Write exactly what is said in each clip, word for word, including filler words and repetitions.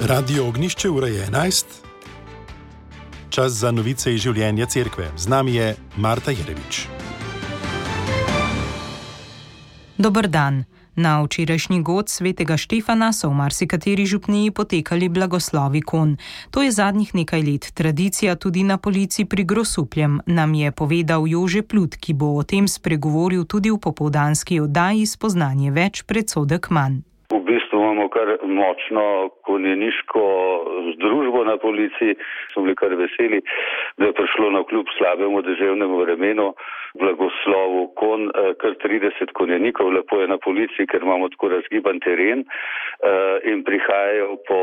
Radio Ognjišče, ura je enajst. Čas za novice iz življenja cerkve. Z nami je Marta Jerevič. Dober dan. Na včerajšnji god svetega Štefana so v marsikateri župniji potekali blagoslovi kon. To je zadnjih nekaj let tradicija tudi na Polici pri Grosupljem, nam je povedal Jože Plut, ki bo o tem spregovoril tudi v popoldanski oddaji Spoznanje več, predsodek manj. V bistvu imamo kar močno konjeniško združbo na Policiji. Smo bili kar veseli, da je prišlo na kljub slabemu deževnemu vremenu blagoslovu kon kar trideset konjenikov. Lepo je na Policiji, ker imamo tako razgiban teren in prihajajo po,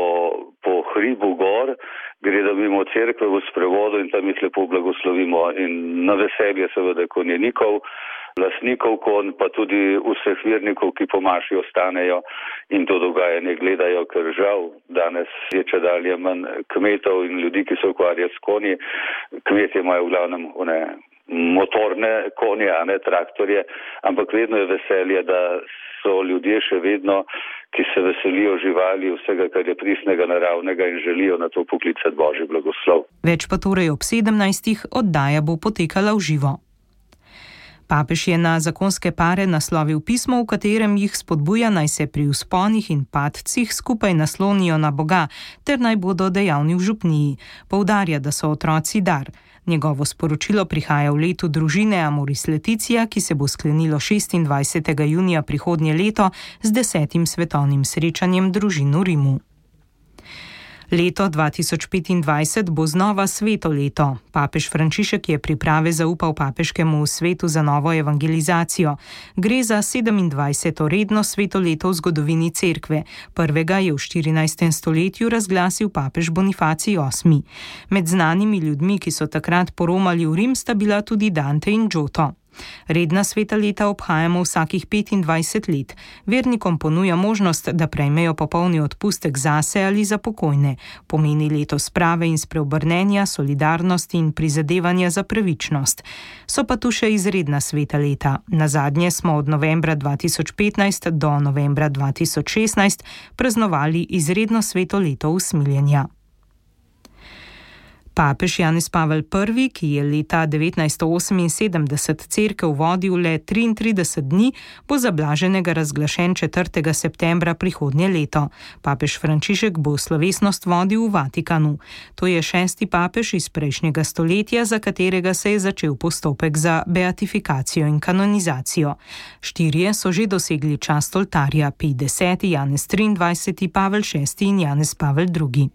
po hribu gor, gredo mimo cerkve v sprevodu in tam jih lepo blagoslovimo. In na veselje seveda konjenikov, lastnikov kon, pa tudi vseh vernikov, ki po maši ostanejo in to dogajanje gledajo, ker žal danes je čedalje manj kmetov in ljudi, ki se ukvarjajo s konji. Kmetje imajo v glavnem one motorne konje, a ne traktorje, ampak vedno je veselje, da so ljudje še vedno, ki se veselijo živali, vsega, kar je pristnega, naravnega in želijo na to poklicati Božji blagoslov. Več pa torej ob sedemnajstih, oddaja bo potekala v živo. Papež je na zakonske pare naslovil pismo, v katerem jih spodbuja, naj se pri vzponih in padcih skupaj naslonijo na Boga, ter naj bodo dejavni v župniji. Poudarja, da so otroci dar. Njegovo sporočilo prihaja v letu družine Amoris Laetitia, ki se bo sklenilo šestindvajsetega junija prihodnje leto z desetim svetovnim srečanjem družin v Rimu. Leto dva tisoč petindvajset bo znova sveto leto. Papež Frančišek je priprave zaupal papeškemu svetu za novo evangelizacijo. Gre za sedemindvajseto redno sveto leto v zgodovini cerkve. Prvega je v štirinajstem stoletju razglasil papež Bonifacij osmi. Med znanimi ljudmi, ki so takrat poromali v Rim, sta bila tudi Dante in Giotto. Redna sveta leta obhajamo vsakih petindvajset let. Vernikom ponuja možnost, da prejmejo popolni odpustek zase ali za pokojne. Pomeni leto sprave in spreobrnenja, solidarnosti in prizadevanja za pravičnost. So pa tu še izredna sveta leta. Nazadnje smo od novembra dva tisoč petnajst do novembra dva tisoč šestnajst praznovali izredno sveto leto usmiljenja. Papež Janez Pavel Prvi, ki je leta devetnajststo oseminsedemdeset cerkev vodil le triintrideset dni, bo za blaženega razglašen četrtega septembra prihodnje leto. Papež Frančišek bo slovesnost vodil v Vatikanu. To je šesti papež iz prejšnjega stoletja, za katerega se je začel postopek za beatifikacijo in kanonizacijo. Štirje so že dosegli čast oltarja, Pij deseti, Janez triindvajseti, Pavel šesti in Janez Pavel drugi.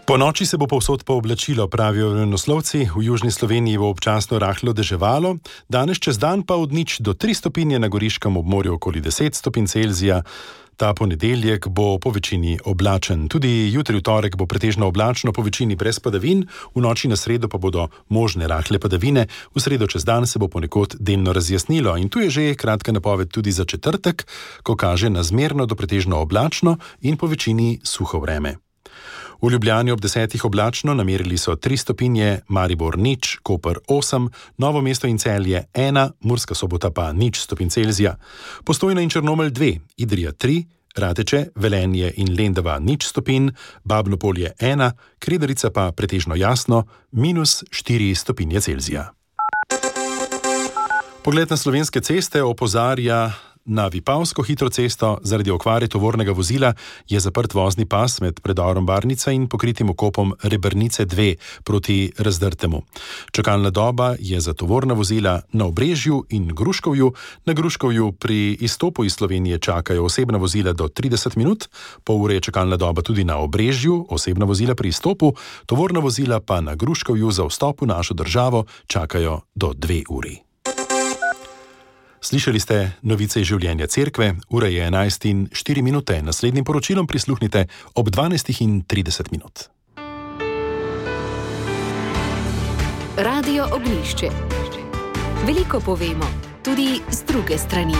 Po noči se bo povsod pooblačilo, pravijo vremenoslovci. V južni Sloveniji bo občasno rahlo deževalo, danes čez dan pa od nič do tri stopinje, na goriškem obmorju okoli deset stopinj Celzija. Ta ponedeljek bo po večini oblačen. Tudi jutri v torek bo pretežno oblačno, po večini brez padavin, v noči na sredo pa bodo možne rahle padavine, v sredo čez dan se bo ponekod delno razjasnilo in tu je že kratka napoved tudi za četrtek, ko kaže na zmerno do pretežno oblačno in po večini suho vreme. V Ljubljani ob desetih oblačno, namerili so tri stopinje, Maribor nič, Koper osem, Novo mesto in Celje ena, Murska Sobota pa nič stopinj Celzija. Postojna in Črnomelj dve, Idrija tri, Rateče, Velenje in Lendava nič stopinj, Babno Polje ena, Kredarica pa pretežno jasno, minus štiri stopinje Celzija. Pogled na slovenske ceste opozarja na Vipavsko hitro cesto. Zaradi okvare tovornega vozila je zaprt vozni pas med predorom Barnica in pokritim okopom Rebrnice dve proti Razdrtemu. Čakalna doba je za tovorna vozila na Obrežju in Gruškovju. Na Gruškovju pri izstopu iz Slovenije čakajo osebna vozila do trideset minut, pol ure je čakalna doba tudi na Obrežju, osebna vozila pri izstopu, tovorna vozila pa na Gruškovju za vstop v našo državo čakajo do dve uri. Slišali ste novice iz življenja cerkve, ura je enajst in štiri minute. Naslednjim poročilom prisluhnite ob dvanajst in trideset minut. Radio Ognjišče. Veliko povemo, tudi z druge strani.